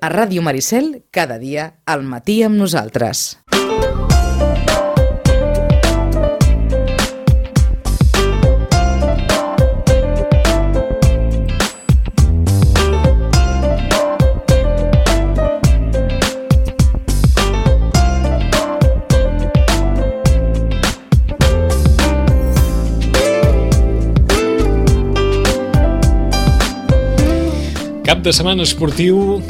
A Ràdio Maricel, cada dia al matí amb nosaltres. Cap de setmana esportiu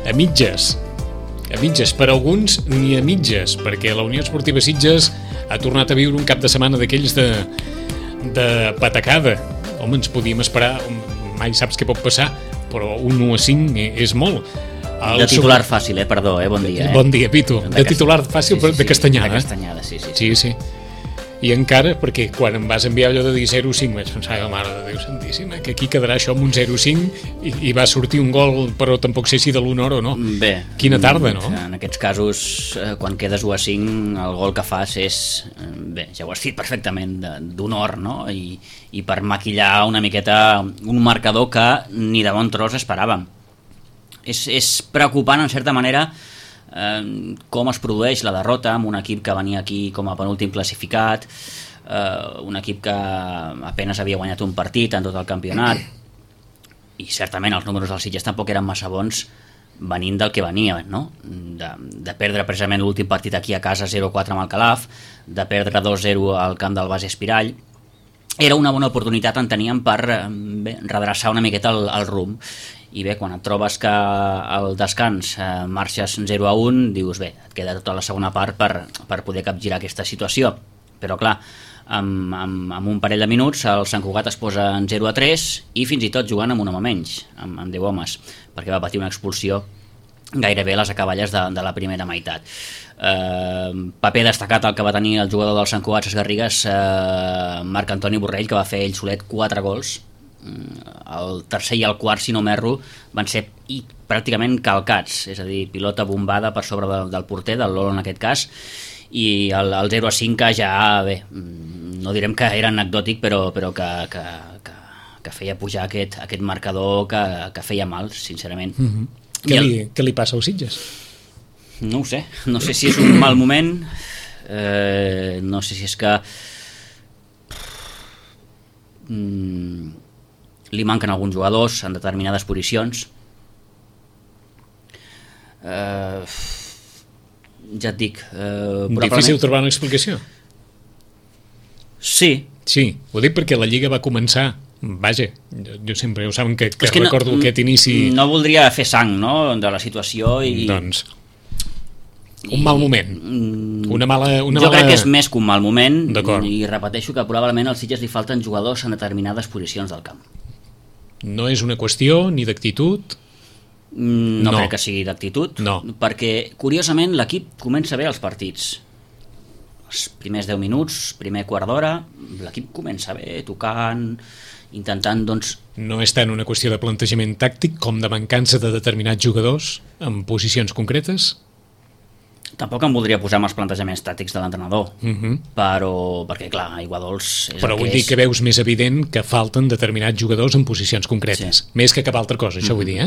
a mitges, per alguns ni a mitges, perquè la Unió Esportiva Sitges ha tornat a viure un cap de setmana d'aquells de patacada. Home, ens podíem esperar, mai saps què pot passar, però un 1-5 és molt. De titular fàcil, perdó, bon dia. Bon dia, Pitu. De titular fàcil, però de castanyada. De castanyada, sí. Sí. I encara, perquè quan em vas enviar allò de dir 0-5 vaig pensar, mare de Déu santíssima, que aquí quedarà això amb un 0-5 i va sortir un gol, però tampoc sé si de l'honor o no. Bé. Quina tarda, no? En aquests casos, quan quedes 1-5, el gol que fas és, bé, ja ho has dit perfectament, d'honor, no? I per maquillar una miqueta un marcador que ni de bon tros esperàvem. És preocupant, en certa manera, com es produeix la derrota amb un equip que venia aquí com a penúltim classificat, un equip que apenas havia guanyat un partit en tot el campionat, i certament els números dels Sitges tampoc eren massa bons venint del que venia, no? De perdre precisament l'últim partit aquí a casa 0-4 amb el Calaf, de perdre 2-0 al camp del Bas Espirall. Era una bona oportunitat, enteníem, per redreçar una miqueta el rumb. I bé, quan et trobes que al descans marxes 0-1, dius, bé, et queda tota la segona part per poder capgirar aquesta situació. Però clar, amb un parell de minuts el Sant Cugat es posa en 0-3 i fins i tot jugant amb un home menys, amb 10 homes, perquè va patir una expulsió gairebé a les acaballes de la primera meitat. Paper destacat el que va tenir el jugador del Sant Cugat Ses Garrigues, Marc Antoni Borrell, que va fer ell solet 4 gols. El tercer i el quart, si no m'erro, van ser pràcticament calcats, és a dir, pilota bombada per sobre del porter, del Lolo en aquest cas, i el 0-5 ja, bé, no direm que era anecdòtic, però que feia pujar aquest marcador que feia mal, sincerament. Què li passa als Sitges? No ho sé, no sé si és un mal moment, no sé si és que li manquen alguns jugadors en determinades posicions. Ja et dic, difícil trobar una explicació? Sí, ho dic perquè la Lliga va començar, vaja, jo sempre ho saben que recordo aquest inici. No voldria fer sang, no?, de la situació i... Doncs un mal moment, una mala... Jo crec que és més que un mal moment. I repeteixo que probablement als Sitges li falten jugadors en determinades posicions del camp. No és una qüestió ni d'actitud? No crec que sigui d'actitud, no. Perquè curiosament l'equip comença bé els partits. Els primers 10 minuts, primer quart d'hora, l'equip comença bé, tocant, intentant, doncs... No és tant una qüestió de plantejament tàctic com de mancança de determinats jugadors en posicions concretes? Tampoc em voldria posar amb els plantejaments tàctics de l'entrenador, però perquè, clar, aigua dolç és però el que vull dir que veus més evident que falten determinats jugadors en posicions concretes, més que cap altra cosa, això vull dir,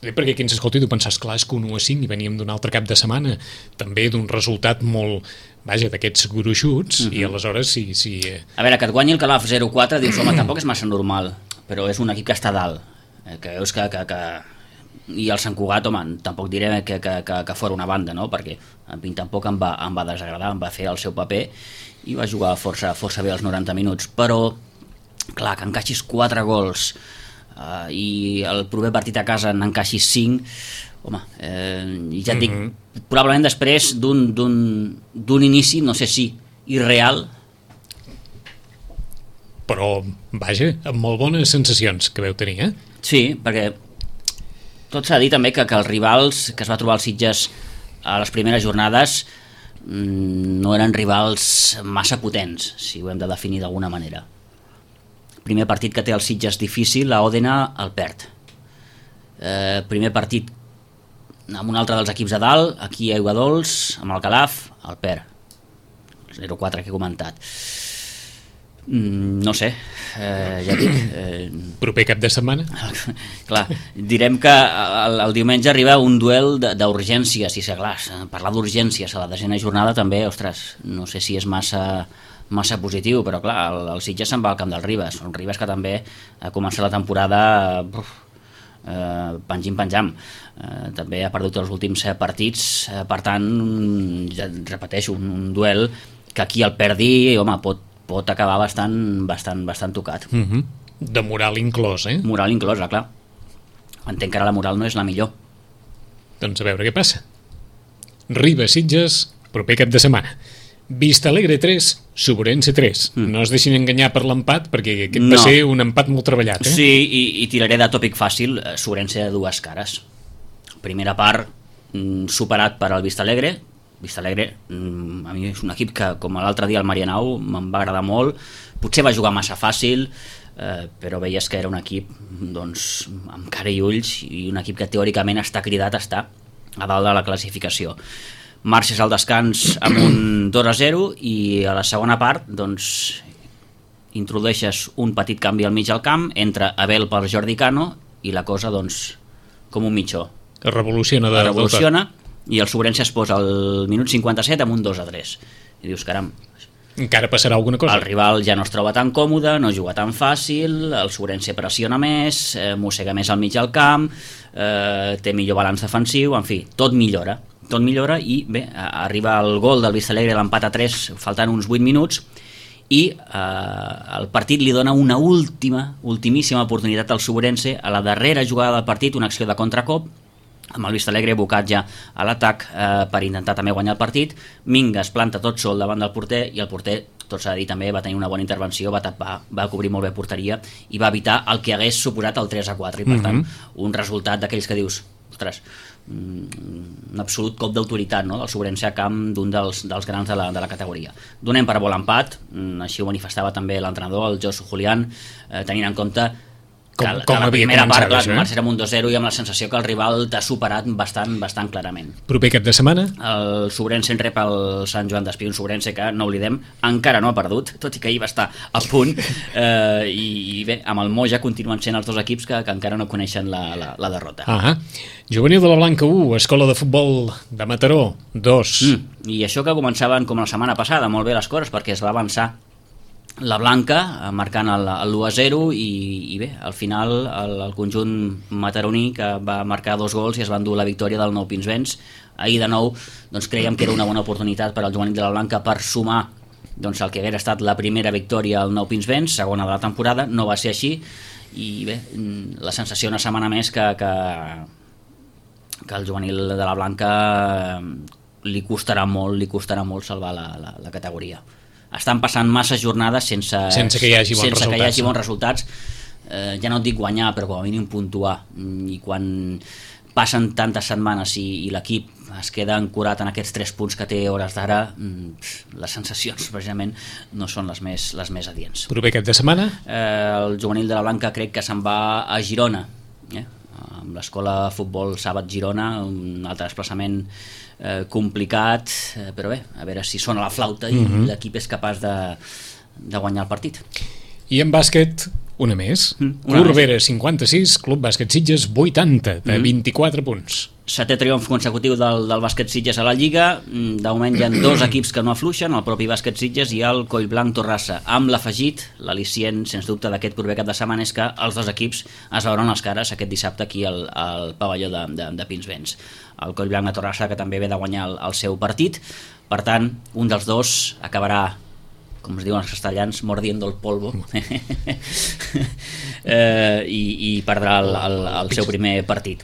perquè qui ens escolti tu pensàs, clar, és que un 1-5 i veníem d'un altre cap de setmana, també d'un resultat molt, vaja, d'aquests gruixuts, i aleshores si... A veure, que et guanyi el Calaf 0-4, dius, home, tampoc és massa normal, però és un equip que està dalt, que veus que i el Sant Cugat, home, tampoc diré que fora una banda, no?, perquè a mi tampoc em va desagradar, em va fer el seu paper i va jugar força bé els 90 minuts, però clar, que encaixis 4 gols i el proper partit a casa n'encaixis 5, home, i ja et dic, probablement després d'un inici, no sé si irreal, però vaja, amb molt bones sensacions que veu tenir, Sí, perquè tot s'ha de dir també que els rivals que es va trobar els Sitges a les primeres jornades no eren rivals massa potents, si ho hem de definir d'alguna manera. Primer partit que té els Sitges difícil, a Òdena el perd. Primer partit amb un altre dels equips de dalt, aquí a Aiguadols, amb el Calaf, el perd. 0-4 que he comentat. No sé, ja dic... Proper cap de setmana? Clar, direm que el diumenge arriba un duel d'urgències, i clar, parlar d'urgències a la 10ª jornada també, ostres, no sé si és massa positiu, però clar, el Sitges se'n va al camp del Ribes, un Ribes que també ha començat la temporada penjam. També ha perdut els últims partits, per tant, ja repeteixo, un duel que qui el perdi, home, pot acabar bastant tocat. De moral inclòs, eh? Moral inclosa, clar. Entenc que ara la moral no és la millor. Doncs a veure què passa. Ribes-Sitges, proper cap de setmana. Vistalegre 3, Suburense 3. No es deixin enganyar per l'empat, perquè aquest va ser un empat molt treballat, eh? Sí, i tiraré de tòpic fàcil, Suburense de dues cares. Primera part, superat per al Vistalegre. Vistalegre, a mi és un equip que, com l'altre dia al Marianao, me'n va agradar molt. Potser va jugar massa fàcil, però veies que era un equip doncs, amb cara i ulls, i un equip que teòricament està cridat a estar a dalt de la classificació. Marxes al descans amb un 2-0 i a la segona part doncs, introdueixes un petit canvi al mig del camp, entra Abel per Jordi Cano i la cosa doncs, com un mitjó. Revoluciona i el Suburense es posa al minut 57 amb un 2-3 i dius, caram, encara passarà alguna cosa. El rival ja no es troba tan còmode, no juga tan fàcil, el Suburense pressiona més, mossega més al mig del camp, té millor balanç defensiu, en fi, tot millora i bé, arriba el gol del Vistalegre, l'empat a 3 faltant uns 8 minuts i el partit li dona una ultimíssima oportunitat al Suburense a la darrera jugada del partit, una acció de contracop amb el Vistalegre abocat ja a l'atac per intentar també guanyar el partit. Minga es planta tot sol davant del porter i el porter, tot s'ha de dir també, va tenir una bona intervenció, va tapar, va cobrir molt bé porteria i va evitar el que hagués suposat el 3-4 i per tant un resultat d'aquells que dius, ostres, un absolut cop d'autoritat, no?, del Suburense a camp d'un dels grans de la categoria. Donem per bo l'empat, així ho manifestava també l'entrenador, el Josu Julián, tenint en compte que la primera part marxarà amb un 2-0 i amb la sensació que el rival t'ha superat bastant clarament. Proper cap de setmana? El Suburense en rep el Sant Joan d'Espí, un Suburense que, no oblidem, encara no ha perdut, tot i que ahir va estar a punt, i bé, amb el Moja continuen sent els dos equips que encara no coneixen la derrota. Juvenil de la Blanca 1, Escola de Futbol de Mataró 2. I això que començaven com la setmana passada, molt bé les coses, perquè es va avançar la Blanca marcant el 1-0 i bé, al final el conjunt mataroní que va marcar 2 gols i es va endur la victòria del Nou Pinsbens. Ahir de nou doncs, creiem que era una bona oportunitat per al Juvenil de la Blanca per sumar doncs, el que haguera estat la primera victòria al Nou Pinsbens, segona de la temporada. No va ser així i bé, la sensació una setmana més que el Juvenil de la Blanca li costarà molt salvar la categoria. Estan passant massa jornades sense que hi hagi bons resultats. Ja no et dic guanyar, però com a mínim puntuar, i quan passen tantes setmanes i l'equip es queda ancorat en aquests 3 punts que té a hores d'ara, les sensacions precisament no són les més adients. Proper cap de setmana? El Juvenil de la Blanca crec que se'n va a Girona, amb l'Escola de Futbol Sàbat Girona, un altre desplaçament complicat, però bé, a veure si sona la flauta i l'equip és capaç de guanyar el partit. I en bàsquet, una més. Corbera 56, Club Bàsquet Sitges 80, de 24 punts. 7è triomf consecutiu del Bàsquet Sitges a la Lliga. De moment hi ha 2 equips que no afluixen, el propi Bàsquet Sitges i el Collblanc Torrassa, amb l'afegit, l'al·licient sens dubte d'aquest proper cap de setmana és que els 2 equips es veuran les cares aquest dissabte aquí al pavelló de Pinsbens. El Collblanc de Torrassa que també ve de guanyar el seu partit, per tant un dels 2 acabarà, com es diuen els castellans, mordiendo el polvo i perdrà el seu primer partit.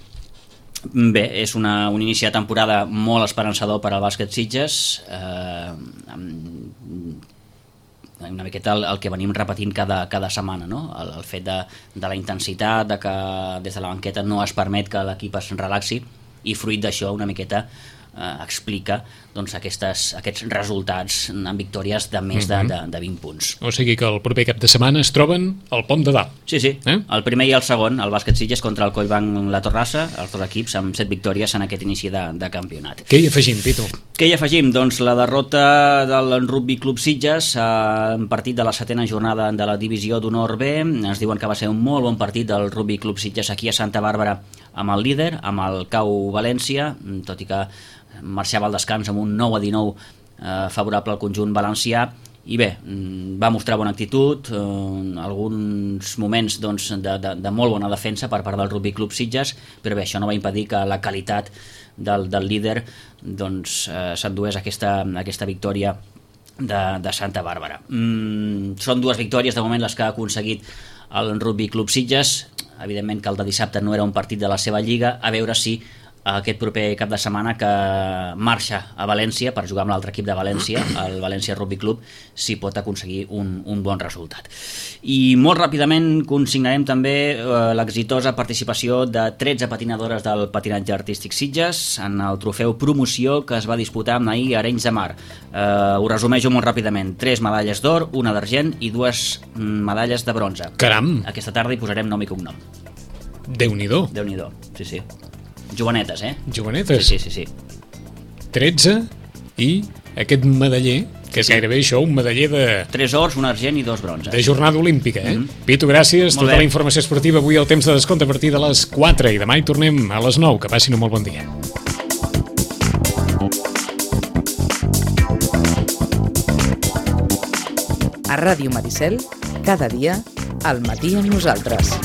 Bé, és un inici de temporada molt esperançador per al Bàsquet Sitges, una miqueta el que venim repetint cada setmana, no? El fet de la intensitat, de que des de la banqueta no es permet que l'equip es relaxi, i fruit d'això una miqueta explica doncs, aquests resultats en victòries de més de 20 punts. O sigui que el proper cap de setmana es troben al Pom de Dalt. Sí, el primer i el segon, el Bàsquet Sitges contra el Collblanc La Torrassa, els 2 equips amb 7 victòries en aquest inici de campionat. Què hi afegim, Pitu? Què hi afegim? Doncs la derrota del Rugby Club Sitges en partit de la 7ª jornada de la Divisió d'Honor B. Ens diuen que va ser un molt bon partit del Rugby Club Sitges aquí a Santa Bàrbara amb el líder, amb el CAU València, tot i que marxava al descans amb un 9-19 favorable al conjunt valencià. I bé, va mostrar bona actitud, alguns moments doncs, de molt bona defensa per part del Rugby Club Sitges, però bé, això no va impedir que la qualitat del líder doncs, s'endués aquesta victòria de Santa Bàrbara. Són 2 victòries de moment les que ha aconseguit el Rugby Club Sitges. Evidentment que el de dissabte no era un partit de la seva lliga, a veure si aquest proper cap de setmana que marxa a València per jugar amb l'altre equip de València, el València Rugby Club, si pot aconseguir un bon resultat. I molt ràpidament consignarem també l'exitosa participació de 13 patinadores del patinatge artístic Sitges en el trofeu promoció que es va disputar ahir a Arenys de Mar. Ho resumeixo molt ràpidament: 3 medalles d'or, 1 d'argent i 2 medalles de bronze. Caram! Aquesta tarda hi posarem nom i cognom. Déu-n'hi-do. Déu-n'hi-do, sí. Jovenetes, Jovenetes. Sí. 13 i aquest medaller, que és gairebé això, un medaller de... 3 ors, 1 argent i 2 bronzes. De jornada olímpica, Pitu, gràcies. Tota la informació esportiva avui al temps de descompte a partir de les 4 i demà hi tornem a les 9. Que passin un molt bon dia. A Ràdio Maricel, cada dia, al matí amb nosaltres.